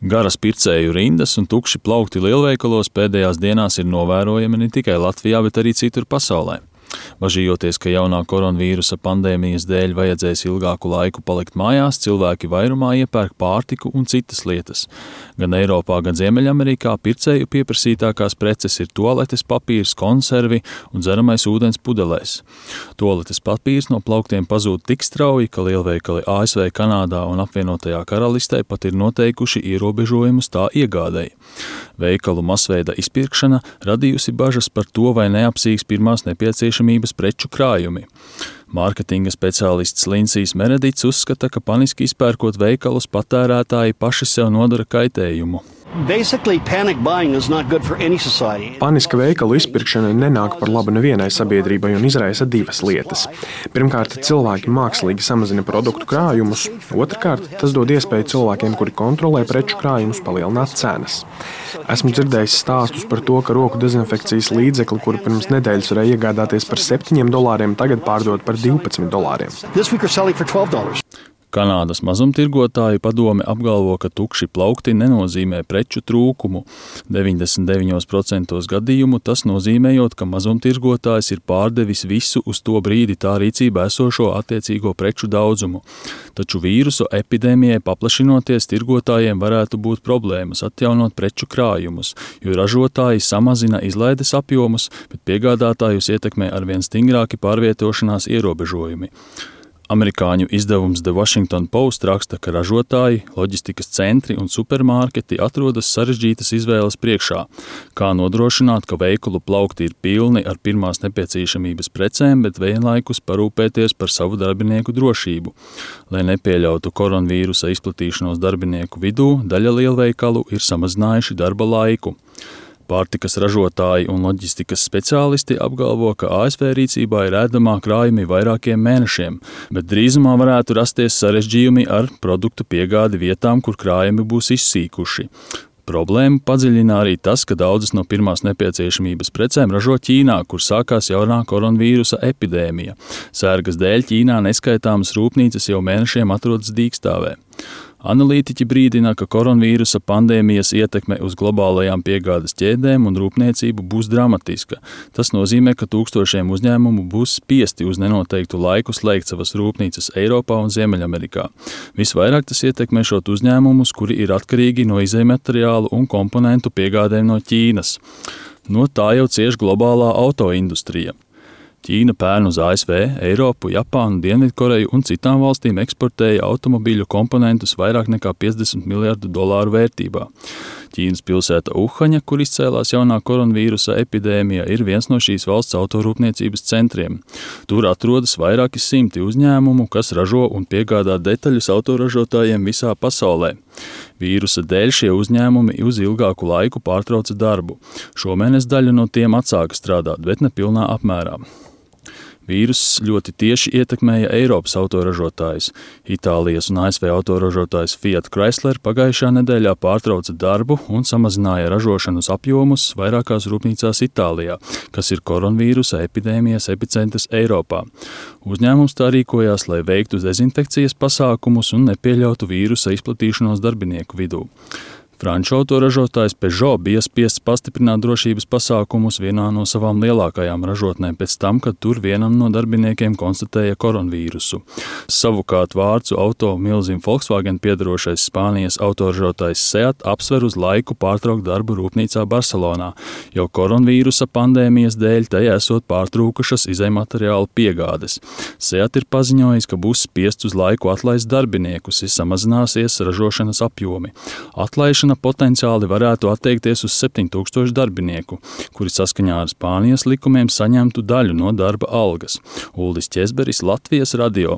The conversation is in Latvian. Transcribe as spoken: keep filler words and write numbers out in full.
Garas pircēju rindas un tukši plaukti lielveikalos pēdējās dienās ir novērojami ne tikai Latvijā, bet arī citur pasaulē. Bažījoties, ka jaunā koronavīrusa pandēmijas dēļ vajadzēs ilgāku laiku palikt mājās, cilvēki vairumā iepērk pārtiku un citas lietas. Gan Eiropā, gan Ziemeļamerikā pircēju pieprasītākās preces ir tualetes papīrs, konservi un dzeramais ūdens pudelēs. Tualetes papīrs no plauktiem pazūd tik strauji, ka lielveikali A S V, Kanādā un apvienotajā karalistē pat ir noteikuši ierobežojumus tā iegādei. Veikalu masveida izpirkšana radījusi bažas par to, vai neapsīgs pirmās nepieciešamības preču krājumi. Mārketinga speciālists Linsijs Meredits uzskata, ka paniski izpērkot veikalus patērētāji paši sev nodara kaitējumu. Paniska veikalu izpirkšana nenāk par labu nevienai sabiedrībai un izraisa divas lietas. Pirmkārt, cilvēki mākslīgi samazina produktu krājumus. Otrkārt, tas dod iespēju cilvēkiem, kuri kontrolē preču krājumus, palielināt cenas. Esmu dzirdējis stāstus par to, ka roku dezinfekcijas līdzekli, kuru pirms nedēļas varēja iegādāties par septiņiem dolāriem, tagad pārdod par divpadsmit dolāriem. Kanādas mazumtirgotāju padome apgalvo, ka tukši plaukti nenozīmē preču trūkumu. deviņdesmit deviņos procentos gadījumu tas nozīmējot, ka mazumtirgotājs ir pārdevis visu uz to brīdi tā rīcībā esošo attiecīgo preču daudzumu. Taču vīrusu epidēmijai paplašinoties, tirgotājiem varētu būt problēmas atjaunot preču krājumus, jo ražotāji samazina izlaides apjomus, bet piegādātājus ietekmē arvien stingrāki pārvietošanās ierobežojumi. Amerikāņu izdevums The Washington Post raksta, ka ražotāji, loģistikas centri un supermarketi atrodas sarežģītas izvēles priekšā. Kā nodrošināt, ka veikalu plaukti ir pilni ar pirmās nepieciešamības precēm, bet vienlaikus parūpēties par savu darbinieku drošību. Lai nepieļautu koronavīrusa izplatīšanos darbinieku vidū, daļa lielveikalu ir samazinājuši darba laiku. Pārtikas ražotāji un loģistikas speciālisti apgalvo, ka A S V rīcībā ir ēdamā krājumi vairākiem mēnešiem, bet drīzumā varētu rasties sarežģījumi ar produktu piegādi vietām, kur krājumi būs izsīkuši. Problēmu padziļina arī tas, ka daudzas no pirmās nepieciešamības precēm ražo Ķīnā, kur sākās jaunā koronavīrusa epidēmija. Sērgas dēļ Ķīnā neskaitāmas rūpnīcas jau mēnešiem atrodas dīkstāvē. Analītiķi brīdina, ka koronavīrusa pandēmijas ietekme uz globālajām piegādes ķēdēm un rūpniecību būs dramatiska. Tas nozīmē, ka tūkstošiem uzņēmumu būs spiesti uz nenoteiktu laiku slēgt savas rūpnīcas Eiropā un Ziemeļamerikā. Visvairāk tas ietekmēšot uzņēmumus, kuri ir atkarīgi no izejmateriālu un komponentu piegādēm no Ķīnas. No tā jau cieš globālā autoindustrija. Ķīna pērn uz A S V, Eiropu, Japānu, Dienvidkoreju un citām valstīm eksportēja automobīļu komponentus vairāk nekā piecdesmit miljardu dolāru vērtībā. Ķīnas pilsēta Uhaņa, kur izcēlās jaunā koronavīrusa epidēmija, ir viens no šīs valsts autorūpniecības centriem. Tur atrodas vairāki simti uzņēmumu, kas ražo un piegādā detaļus autoražotājiem visā pasaulē. Vīrusa dēļ šie uzņēmumi uz ilgāku laiku pārtrauca darbu. Šomēnes daļa no tiem atsāka strādāt, bet ne pilnā apmērā. Vīruss ļoti tieši ietekmēja Eiropas autoražotājus. Itālijas un A S V autoražotājs Fiat Chrysler pagājušā nedēļā pārtrauca darbu un samazināja ražošanas apjomus vairākās rūpnīcās Itālijā, kas ir koronavīrusa epidēmijas epicentrs Eiropā. Uzņēmums tā rīkojās, lai veiktu dezinfekcijas pasākumus un nepieļautu vīrusa izplatīšanos darbinieku vidū. Franču autoražotājs Peugeot bija spiests pastiprināt drošības pasākumus vienā no savām lielākajām ražotnēm pēc tam, kad tur vienam no darbiniekiem konstatēja koronavīrusu. Savukārt vācu auto milzim Volkswagen piedarošais Spānijas autoražotājs Seat apsver uz laiku pārtraukt darbu rūpnīcā Barcelonā, jo koronavīrusa pandēmijas dēļ tajā esot pārtrūkušas izejmateriālu piegādes. Seat ir paziņojis, ka būs spiests uz laiku atlaist darbiniekus, ja samazināsies ražošanas apjomi. Atlaišana potenciāli varētu attiekties uz septiņu tūkstošu darbinieku, kuri saskaņā ar Spānijas likumiem saņemtu daļu no darba algas. Uldis Ķezberis, Latvijas radio.